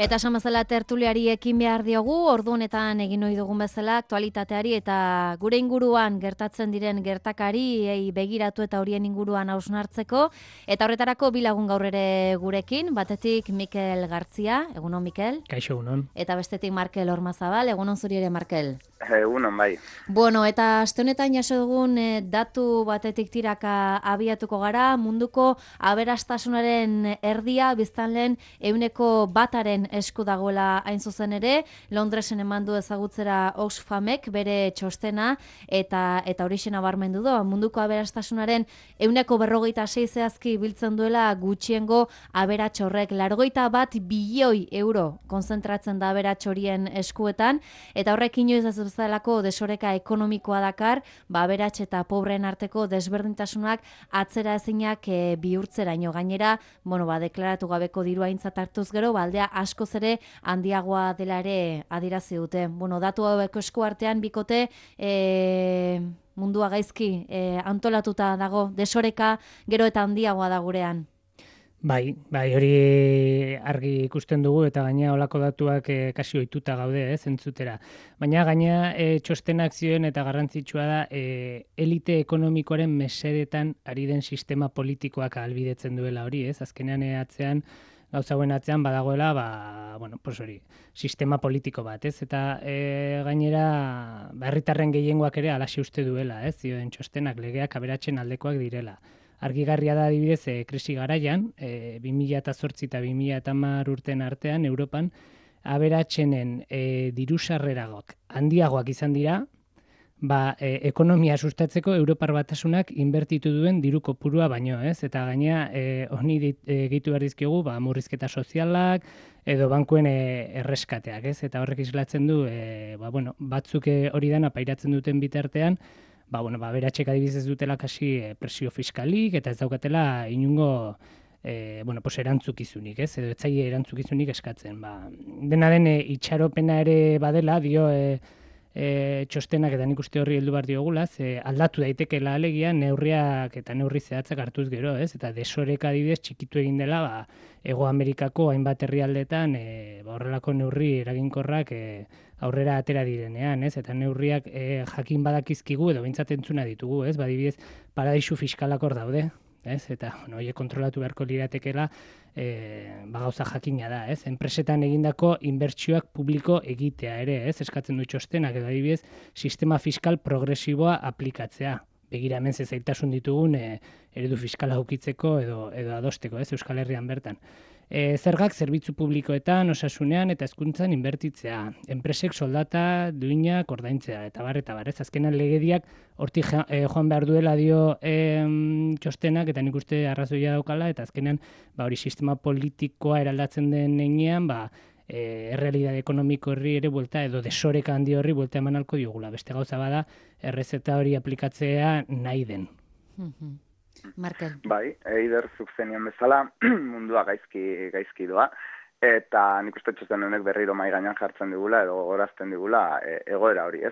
Eta esan bezala tertuliari ekin behar diogu, ordu honetan egin ohi dugun bezala aktualitateari eta gure inguruan gertatzen diren gertakari begiratu eta horien inguruan hausnartzeko. Eta horretarako bi lagun gaur ere gurekin, batetik Mikel Gartzia, egunon Mikel. Kaixo, egunon. Eta bestetik Markel Ormazabal, egunon zuri ere Markel. Egunon, bai. Bueno, eta aste honetan jaso dugun datu batetik tiraka abiatuko gara, munduko aberastasunaren erdia biztanleen 100% esku dagoela hain zuzen ere, Londresen emandu ezagutzera Oxfamek bere txostena eta horixen nabarmendu du, munduko aberastasunaren 146 zehazki biltzen duela gutxiengo aberats horrek, 81 bilioi euro konzentratzen da aberats horien eskuetan, eta horrek inoiz ez bezalako desoreka ekonomikoa dakar, aberats eta pobreen arteko desberdintasunak atzera ezinak bihurtzeraino. Gainera, deklaratu gabeko dirua aintzat hartuz gero, aldea askoz ere handiagoa dela ere adierazi dute. Datu hauek esku artean bikote mundua gaizki antolatuta dago, desoreka gero eta handiagoa da gurean. Bai, hori argi ikusten dugu eta gaina olako datuak kasi ohituta gaude, entzutera. Baina gaina txostenak zioen eta garrantzitsua da elite ekonomikoaren mesedetan ari den sistema politikoak ahalbidetzen duela hori, azkenean atzean gauza hauen atzean badagoela, hori, sistema politiko bat, eta gainera herritarren gehiengoak ere halaxe uste duela, zioen txostenak legeak aberatsen aldekoak direla. Argigarria da adibidez krisi garaian, 2008 eta 2010 urten artean Europan aberatsenen diru sarreragok handiagoak izan dira, ekonomia sustatzeko Europar Batasunak inbertitu duen diru kopurua baino, eta gaina honi gehitu behar dizkiogu murrizketa sozialak edo bankuen erreskateak, eta horrek islatzen du batzuk hori dana pairatzen duten bitartean, aberatsek adibidez dutela kasi presio fiskalik eta ez daukatela inungo erantzukizunik, edo etzaile erantzukizunik eskatzen. Dena den itxaropena ere badela, dio txostenak eta nik uste horri heldu behar diogula, aldatu daitekeela alegia neurriak eta neurri zehatzak hartuz gero, eta desoreka adibidez txikitu egin dela Hego Amerikako hainbat herrialdetan horrelako neurri eraginkorrak aurrera atera direnean, eta neurriak jakin badakizkigu edo behintzat entzuna ditugu, adibidez paradisu fiskalak hor daude, eta horiek kontrolatu beharko liratekeela gauza jakina da, enpresetan egindako inbertsioak publiko egitea ere, eskatzen du txostenak, edo adibidez sistema fiskal progresiboa aplikatzea. Begira hemen zailtasun ditugun eredu fiskala ukitzeko edo adosteko, Euskal Herrian bertan. Zergak zerbitzu publikoetan, osasunean eta hezkuntzan inbertitzea. Enpresek soldata, duinak ordaintzea, eta bar. Azkenan legediak hortik joan behar duela dio txostenak, eta nik uste arrazoia daukala, eta azkenan hori sistema politikoa eraldatzen den heinean, errealidade ekonomiko horri ere buelta, edo desoreka handi horri buelta eman alko diogula. Beste gauza bada, errezeta hori aplikatzea nahi den. Markel. Bai, eider zuk zenian bezala, mundua gaizki doa, eta nik uste txosten honek berriro mahai gainean jartzen digula, edo gorazten digula egoera hori,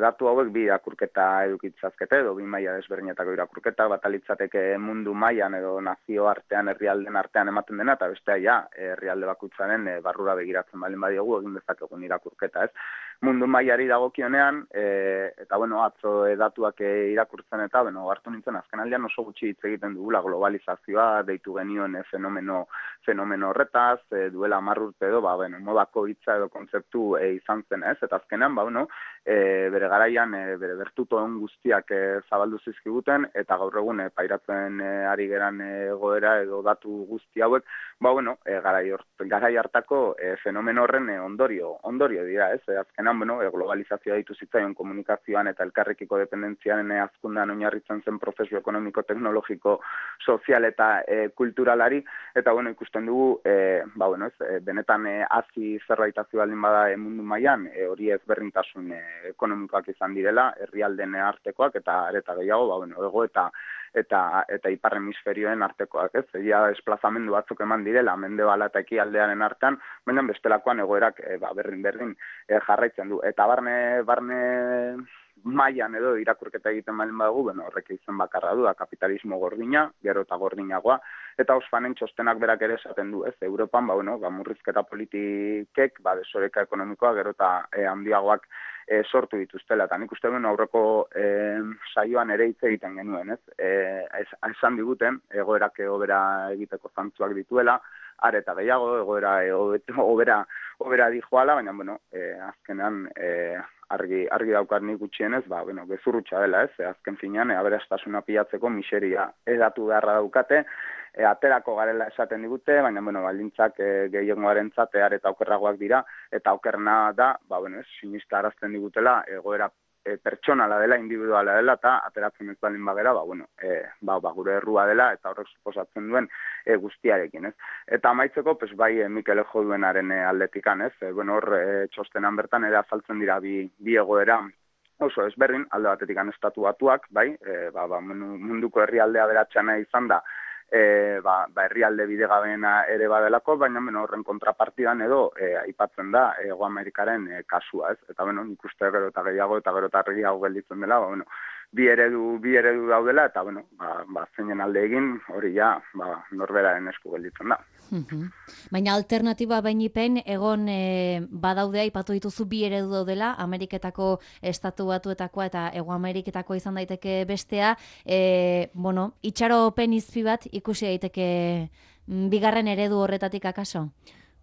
datu hauek bi irakurketa edukitzazkete, edo bi maila desberdinetako irakurketa, bat alitzateke mundu mailan edo nazio artean, herrialden artean ematen dena, eta bestea herrialde bakutzaren barrura begiratzen baldin badiogu egin dezakegun irakurketa, mundu mailari dagokionean, eta atzo datuak irakurtzen eta, hartu nintzen azkenaldian oso gutxi hitz egiten dugula globalizazioa, deitu genioen fenomeno horretaz, duela 10 urte edo, modako hitza edo kontzeptu izan zen, eta azkenean, bere garaian, bere bertutoen guztiak zabaldu zizkiguten, eta gaur egun pairatzen ari geran egoera edo datu guzti hauek, garai hartako fenomeno horren ondorio dira, azkenean, globalizazioa ditu zitzaion komunikazioan eta elkarrekiko dependentziaren hazkundean oinarritzen zen prozesu ekonomiko, teknologiko, sozial eta kulturalari, eta ikusten dugu, benetan hazi zerbaitazio baldin bada mundu mailan, hori ezberdintasun ekonomikoak izan direla, herrialden artekoak eta areta gehiago, ego eta ipar hemisferioen artekoak, egia desplazamendu batzuk eman direla, mendebala eta ekialdearen artean, baina bestelakoan egoerak berdin jarraitzen du. Eta barne mailan edo irakurketa egiten baldin badugu, bueno, horrek izen bakarra du, kapitalismo gordina, gero eta gordinagoa, eta Oxfamen txostenak berak ere esaten du, ez, Europan, murrizketa politikek, desoreka ekonomikoa, gero eta handiagoak sortu dituztela, eta nik uste duen aurreko saioan ere hitz egiten genuen, ez? Esan diguten, egoerak hobera egiteko zantzuak dituela, are eta gehiago, egoera hobera dijoala, baina, azkenean argi daukar nik gutxienez, gezurrutxa dela, ez? Azken finean, aberastasuna pilatzeko miseria edatu beharra daukate, aterako garela esaten digute, baina, baldintzak gehiengoarentzat are eta okerragoak dira, eta okerna da, sinista arazten digutela, egoera pertsonala dela, individuala dela, eta ateratzen ez baldin bagera, gure errua dela, eta horrek suposatzen duen guztiarekin, ez? Eta amaitzeko, bai, Mikel jo duenaren aldetikan, ez? Hor, txostenan bertan ere azaltzen dira bi egoera oso ezberdin, alde batetik estatu batuak, bai, munduko herrialdea beratxana izan da, herrialde bidegabeena ere badelako, baina horren kontrapartidan edo aipatzen da Hego Amerikaren kasua, ez? Eta nik uste gero eta gehiago gelditzen dela, bi eredu daudela, eta zeinen alde egin, hori ja, norberaren esku gelditzen da. Baina alternatiba bainipen, egon badaude aipatu dituzu bi eredu daudela, Ameriketako estatu batuetakoa eta Hego Ameriketako izan daiteke bestea, itxaropen izpi bat ikusi daiteke bigarren eredu horretatik akaso?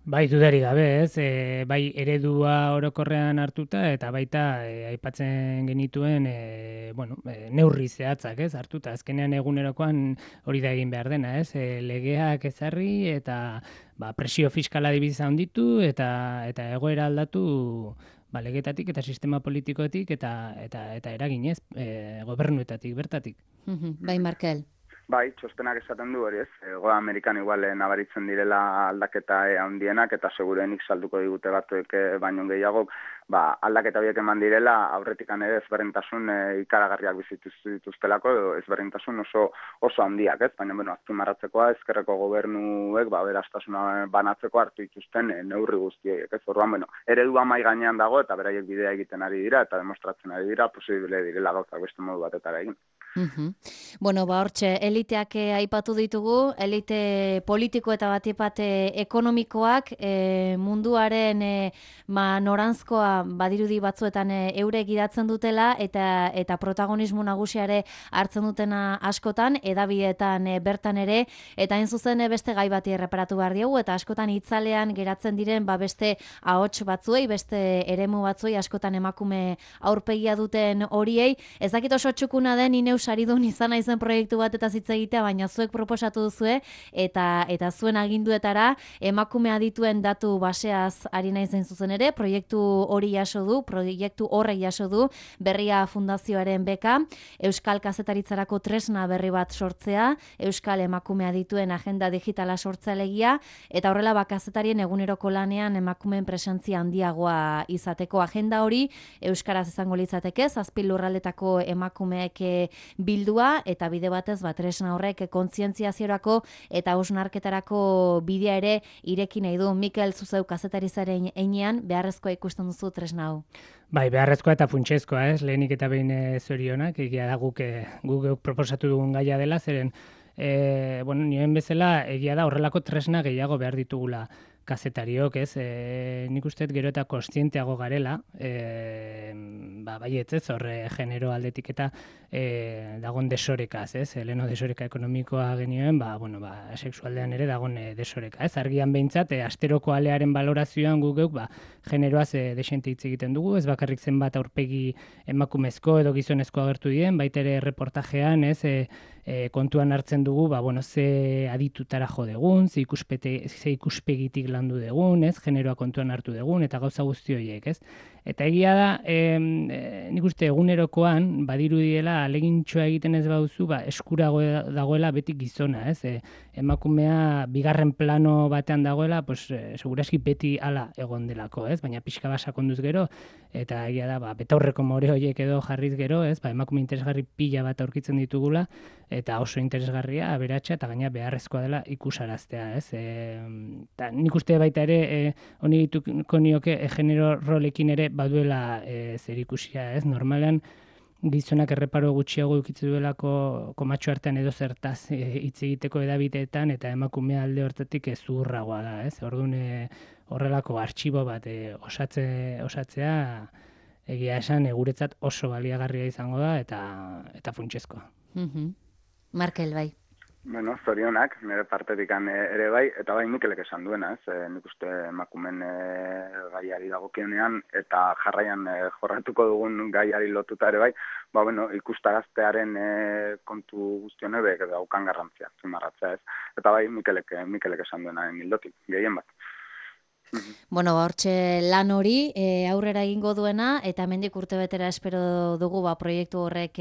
Bai, dudarik gabe, ez? Bai, eredua orokorrean hartuta eta baita aipatzen genituen neurri zehatzak, ez? Hartuta, azkenean egunerokoan hori da egin behar dena, ez? Legeak ezarri eta presio fiskala dibiza handitu eta egoera aldatu legetatik eta sistema politikoetik eta eraginez, gobernuetatik, bertatik. Bai, Markel. Bai, txostenak esaten du hori, ez? Hego Amerikan igual nabaritzen direla aldaketa handienak eta segurenik salduko digute batzuek baino gehiago, aldaketa horiek eman direla aurretikan ere ezberdintasun ikaragarriak dituztelako edo ezberdintasun oso handiak, ez? Baina, azpimarratzekoa ezkerreko gobernuek aberastasuna banatzeko hartu dituzten neurri guztiek, ez? Orduan, eredua mahai gainean dago eta beraiek bidea egiten ari dira eta demostratzen ari dira, posible direla gauzak beste modu batetara egin. Hortxe, eliteak aipatu ditugu, elite politiko eta batipat ekonomikoak munduaren noranzkoa badirudi batzuetan eure gidatzen dutela eta protagonismo nagusiare hartzen dutena askotan, edabideetan bertan ere, eta hain zuzen beste gai bati erreparatu behar diogu, eta askotan itzalean geratzen diren beste ahots batzuei, beste eremu batzuei, askotan emakume aurpegia duten horiei, ez dakit oso txukuna den ineus saridun izan naizen proiektu bat eta hitz egitea, baina zuek proposatu duzue eta zuen aginduetara emakumea dituen datu baseaz ari naizen zuzen ere, proiektu horrek jaso du Berria Fundazioaren beka, Euskal Kazetaritzarako tresna berri bat sortzea, Euskal emakumea dituen agenda digitala sortzalegia, eta horrela kazetarien eguneroko lanean emakumeen presentzia handiagoa izateko agenda hori, euskaraz izango litzateke, 7 lurraldetako emakumeek bildua eta bide batez tresna horrek kontzientziaziorako eta hausnarketarako bidea ere ireki nahi du. Mikel, zuzeu kazetarizaren heinean beharrezkoa ikusten duzu tresna hau. Bai, beharrezkoa eta funtsezkoa, ez? Lehenik eta behin zorionak, egia da guk proposatu dugun gaia dela, zeren nioen bezala egia da horrelako tresna gehiago behar ditugula kazetariok, ez? Nik uste gero eta kontzienteago garela, baietz, ez, horre genero aldetik eta dagon desorekaz, ez? Leheno desoreka ekonomikoa genioen, sexualdean ere dagon desoreka, ez? Argian behintzat, asteroko alearen balorazioan geuk, generoaz desente hitz egiten dugu, ez bakarrik zenbat aurpegi emakumezko edo gizonezko agertu dien, baita ere reportajean, ez, kontuan hartzen dugu, ze aditutara jo degun, ze ikuspegitik landu degun, ez, generoa kontuan hartu degun, eta gauza guzti horiek, ez. Eta egia da, nik uste egunerokoan, badirudiela, alegintxoa egiten ez bauzu, eskurago dagoela beti gizona, ez. Emakumea bigarren plano batean dagoela, seguraski beti ala egon delako, ez, baina pixka basakonduz gero, eta egia da, betaurreko more horiek edo jarriz gero, ez, emakume interesgarri pila bat aurkitzen ditugula, eta oso interesgarria, aberatsa, eta gaina beharrezkoa dela ikusaraztea, ez. Nik uste baita ere, honi dituko nioke genero rolekin ere baduela zer ikusia, ez. Normalean, gizonak erreparo gutxiago ukitzu duelako komatxo artean edo zertaz hitz egiteko edabiteetan, eta emakumea alde hortatik zurragoa da, ez? Orduan horrelako artxibo bat osatzea egia esan guretzat oso baliagarria izango da eta funtsezkoa. Markel, bai. Bueno, zorionak, nire partetik ere bai, eta bai Mikelek esan duena, ez? Nik uste emakumen gaiari dagokionean, eta jarraian jorratuko dugun gaiari lotuta ere bai, bueno, ikustagaztearen kontu guztion ebe daukan garrantzia, zimarratzea, ez? Eta bai Mikelek esan duena hildotik, gehien bat. Bueno, hortxe lan hori aurrera egingo duena, eta hemendik urtebetera espero dugu proiektu horrek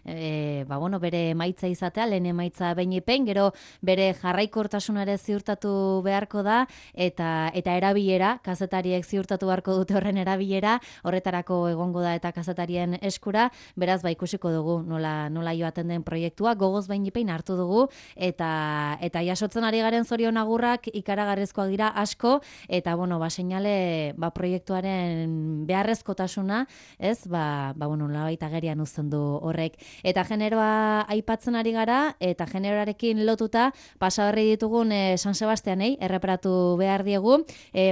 bere emaitza izatea, lehen emaitza behin, gero bere jarraikortasunare ziurtatu beharko da, eta erabilera, kazetariek ziurtatu beharko dute horren erabilera, horretarako egongo da eta kazetarien eskura, beraz ikusiko dugu nola joaten den proiektua, gogoz behin hartu dugu, eta jasotzen ari garen zorion agurrak ikaragarrizkoak dira asko, eta seinale proiektuaren beharrezkotasuna, ez? Labait agerian uzten du horrek. Eta generoa aipatzen ari gara, eta generoarekin lotuta pasaberri ditugun San Sebastianei erreparatu behar diegu.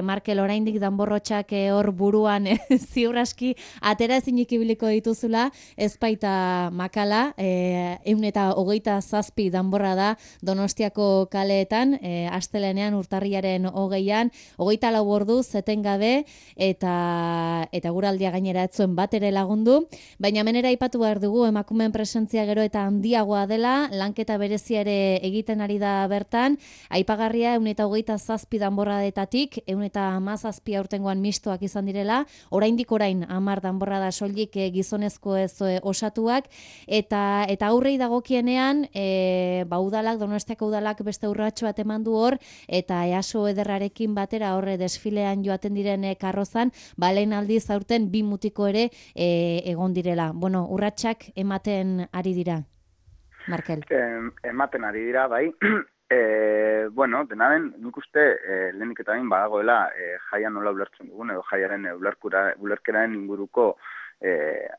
Markel, oraindik danborrotxak hor buruan ziur aski atera ezinik ibiliko dituzula, ez baita makala, 127 danborra da Donostiako kaleetan, astelenean urtarriaren 20an, 24 orduz etengabe, eta guraldia gainera ez zuen bat ere lagundu, baina menera aipatu behar dugu emakumeen presentzia gero eta handiagoa dela, lanketa berezia ere egiten ari da bertan, aipagarria 127 danborradetatik, 117 aurtengoan mistoak izan direla, orain 10 danborrada soilik gizonezko ez osatuak, eta aurrei dagokienean, udalak, Donostiako udalak beste urratxo bat eman du hor, eta EASO ederrarekin batera horre desfilean joaten diren karrozan, lehen aldiz aurten 2 mutiko ere egon direla. Bueno, urratsak ematen ari dira, Markel. Ematen ari dira, bai. Dena den, nik uste lehenik eta bain badagoela jaia nola ulertzen dugun, edo jaiaren ulerkeraren inguruko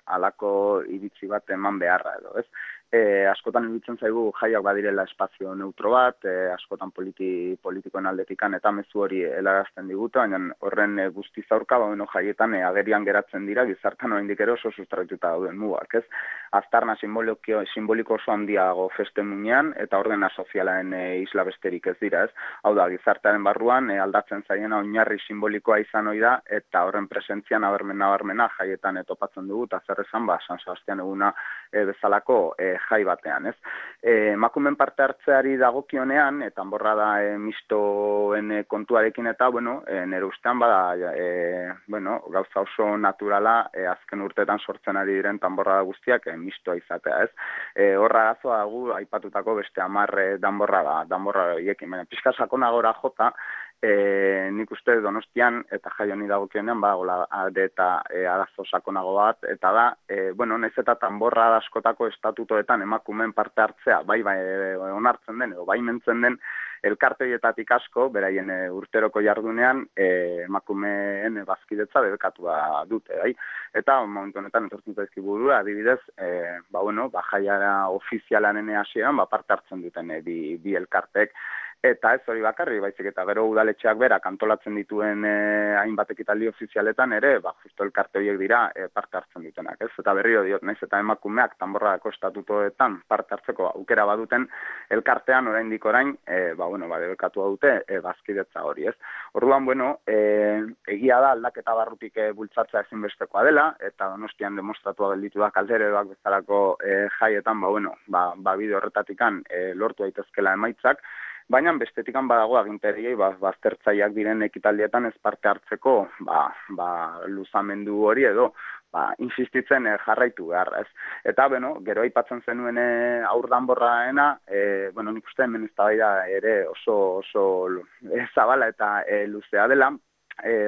alako iritzi bat eman beharra edo, ez? Askotan iruditzen zaigu jaiak badirela espazio neutro bat, askotan politikoen aldetikan eta mezu hori helarazten digute, baina horren guztiz aurka, jaietan agerian geratzen dira, gizartan oraindik ere oso sustraituta dauden mugak, ez? Aztarna simboliko oso handiago feste muinean, eta ordena sozialaren isla besterik ez dira, ez? Hau da, gizartearen barruan aldatzen zaiena oinarri simbolikoa izan ohi da, eta horren presentzia nabarmena jaietan topatzen dugu, eta zer esan, San Sebastian eguna bezalako jai batean, ez? Emakumeen parte hartzeari dagokionean, eta danborra da mistoen kontuarekin eta, nire ustean gauza oso naturala azken urteetan sortzen ari diren danborra guztiak mistoa izatea, ez? Horra arazoa dugu aipatutako beste 10 danborra horiekin, baina pixka sakonagora jota, nik uste Donostian eta jai honi dagokionean badagoela eta arazo sakonago bat, eta da, nahiz eta danborra askotako estatutoetan emakumeen parte hartzea, bai onartzen den edo baimentzen den, elkarte horietatik asko, beraien urteroko jardunean, emakumeen bazkidetza debekatua dute, bai? Eta momentu honetan etortzen zaizkigu burura, adibidez, jaiara ofizialaren hasieran parte hartzen duten bi elkartek. Eta ez hori bakarri, baizik eta gero udaletxeak berak antolatzen dituen hainbat ekitaldi ofizialetan ere, justo elkarte horiek dira parte hartzen dutenak, ez? Eta berriro diot, naiz eta emakumeak danborradako estatutoetan parte hartzeko aukera baduten elkartean oraindik orain, debekatua dute bazkidetza hori, ez? Orduan, egia da aldaketa barrutik bultzatzea ezinbestekoa dela, eta Donostian demostratua gelditu da kaldereroak bezalako jaietan, bide horretatikan lortu daitezkela emaitzak, baina bestetikan badago agintariei baztertzaileak diren ekitaldietan ez parte hartzeko luzamendu hori edo insistitzen jarraitu behar, ez? Eta, gero aipatzen zenuen aur danborraena, nik uste hemen eztabaida ere oso zabala eta luzea dela,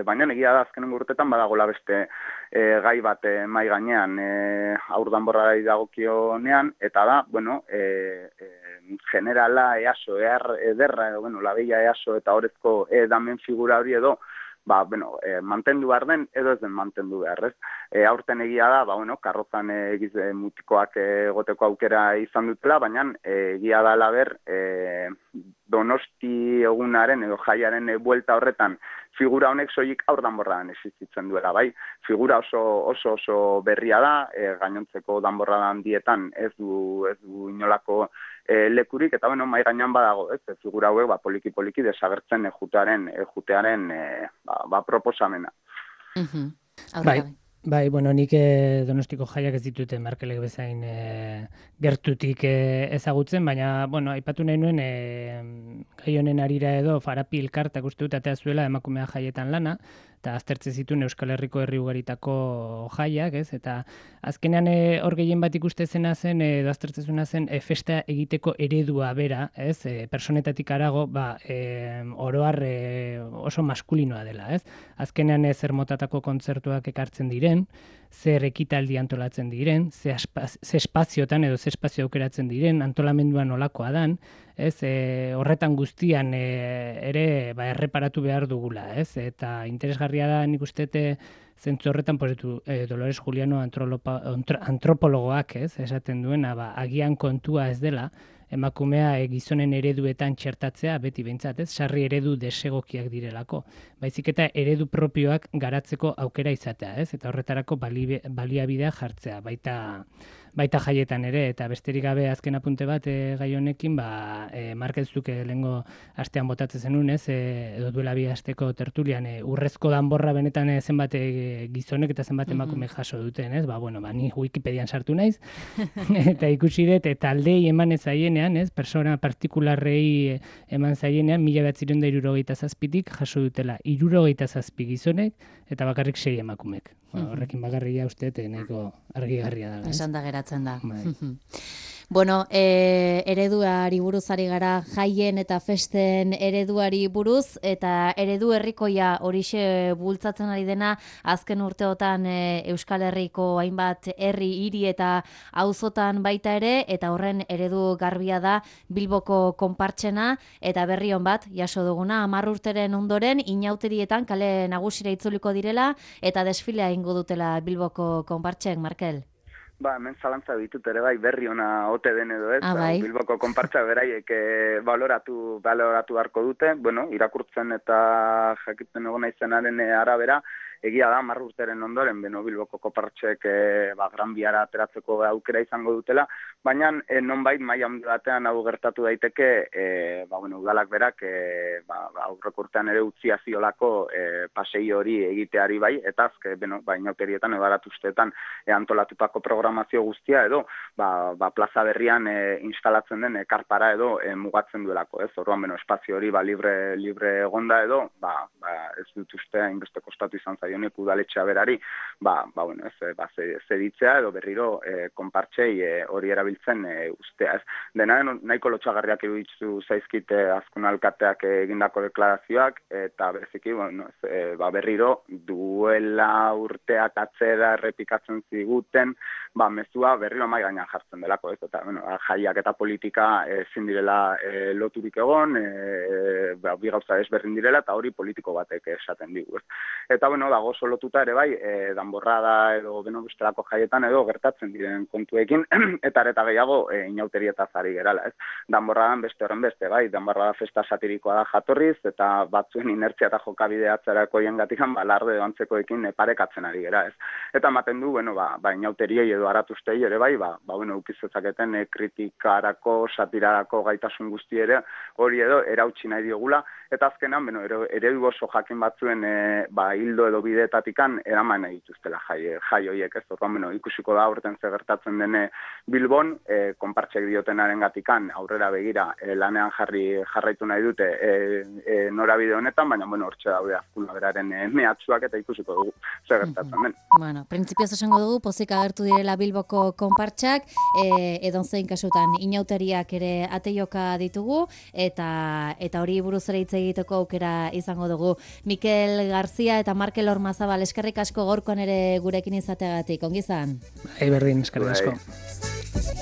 baina egia da azkenengo urtetan badagola beste gai bat mahai gainean aur danborrari dagokionean, eta da, generala EASO, ederra, labeia EASO eta horrezko damen figura hori edo, mantendu behar den edo ez den mantendu behar, ez? Aurten egia da, karrozan mutikoak egoteko aukera izan dutela, baina egia da laber, Donosti egunaren edo jaiaren buelta horretan figura honek soilik aur danborradan existitzen duela, bai. Figura oso berria da, gainontzeko danborrada handietan ez du inolako lekurik, eta mai gainean badago, ez? Figura hauek poliki desagertzen jutearen proposamena. Bai, nik Donostiko jaiak ez ditut Markelek bezain gertutik ezagutzen, baina, aipatu nahi nuen gai honen arira edo Farapi elkartak uste dut atea zuela emakumea jaietan lana, eta aztertzen zituen Euskal Herriko herri ugaritako jaiak, ez? Eta azkenean hor gehien bat ikuste zena zen, edo aztertzen zuena zen, festa egiteko eredua bera, ez? Personetatik arago, oroar oso maskulinoa dela, ez? Azkenean zer motatako kontzertuak ekartzen diren, zer ekitaldi antolatzen diren, ze espaziotan edo ze espazio aukeratzen diren, antolamenduan nolakoa dan, ez, horretan guztian ere erreparatu behar dugula, ez, eta interesgarria da nik ustete zentzu horretan Dolores Juliano antropologoak, ez, esaten duena, agian kontua ez dela, emakumea gizonen ereduetan txertatzea, beti behintzat, ez, sarri eredu desegokiak direlako. Baizik eta eredu propioak garatzeko aukera izatea, ez, eta horretarako baliabidea jartzea, baita jaietan ere, eta besterik gabe azken apunte bat gai honekin, Markezuk lehengo astean botatzen zenun, ez, edo duela bi asteko tertulian, urrezko danborra benetan zenbat gizonek eta zenbat emakume jaso duten, ez, ni Wikipedian sartu naiz, eta ikusi dut, taldei eman ez zaienean, ez, persona partikularrei eman zaienean, 1967tik jaso dutela 67 gizonek, eta bakarrik 6 emakumek. Horrekin bakarria uste, nahiko argigarria da. Esan da geratzen da. Ereduari buruz ari gara, jaien eta festen ereduari buruz, eta eredu herrikoia horixe bultzatzen ari dena, azken urteotan Euskal Herriko hainbat herri, hiri eta auzotan baita ere, eta horren eredu garbia da Bilboko konpartsena, eta berri on bat, jaso duguna, 10 urteren ondoren, inauterietan kale nagusira itzuliko direla, eta desfilea ingo dutela Bilboko konpartsek, Markel. Hemen zalantza ditut ere berri ona ote den edo ez, Bilboko konpartsa beraiek baloratu beharko dute, irakurtzen eta jakiten egon naizenaren arabera, egia da, 10 urteren ondoren, Bilboko konpartsek Gran Biara ateratzeko aukera izango dutela, baina nonbait maila handi batean hau gertatu daiteke, udalak berak aurreko urtean ere utzia ziolako pasei hori egiteari bai, eta inauterietan edo aratuzteetan antolatutako programazio guztia edo plaza berrian instalatzen den karpara edo mugatzen duelako, ez? Orduan, espazio hori libre egonda edo, ez dut uste hainbeste kostatu izan zaionek udaletxea berari, zeditzea edo berriro konpartsei hori erabiltzen ustea, ez? Dena nahiko lotxagarriak iruditu zaizkite azkun alkateak egindako deklarazioak, eta bereziki, berriro duela urteak atzera errepikatzen ziguten, mezua berriro mai gainean jartzen delako, ez? Eta, jaiak eta politika ezin direla loturik egon, bi gauza ezberdin direla, eta hori politiko batek esaten digu, ez? Eta, dago oso lotuta ere bai, danborrada edo bestelako jaietan edo gertatzen diren kontuekin, eta areta gehiago inauterietaz ari gerala, ez? Danborradan beste horren beste, bai, danborrada festa satirikoa da jatorriz, eta batzuen inertzia eta jokabide atzerako gatikan balarde antzekoekin parekatzen ari gera, ez? Eta ematen du, inauteriei edo aratuztei ere bai, ukizezaketen kritikarako, satirarako gaitasun guzti ere, hori edo erautsi nahi diogula, eta azkenan, eredu oso jakin batzuen hildo edo bideetatikan eraman nahi dituztela jai horiek, ez? Orduan, ikusiko da aurten gertatzen dene Bilbon, konpartsek diotenaren gatikan aurrera begira lanean jarraitu nahi dute norabide honetan, baina, hortxe daude azkuna beraren mehatxuak eta ikusiko dugu zer gertatzen den. Printzipioz esango dugu, pozik agertu direla Bilboko konpartsak, edozein kasutan inauteriak ere ateioka ditugu, eta hori buruz ere hitz egiteko aukera izango dugu. Mikel Garzia eta Markel Ormazabal, eskerrik asko gaurkoan ere gurekin izateagatik, ongi izan? Berdin, eskerrik asko.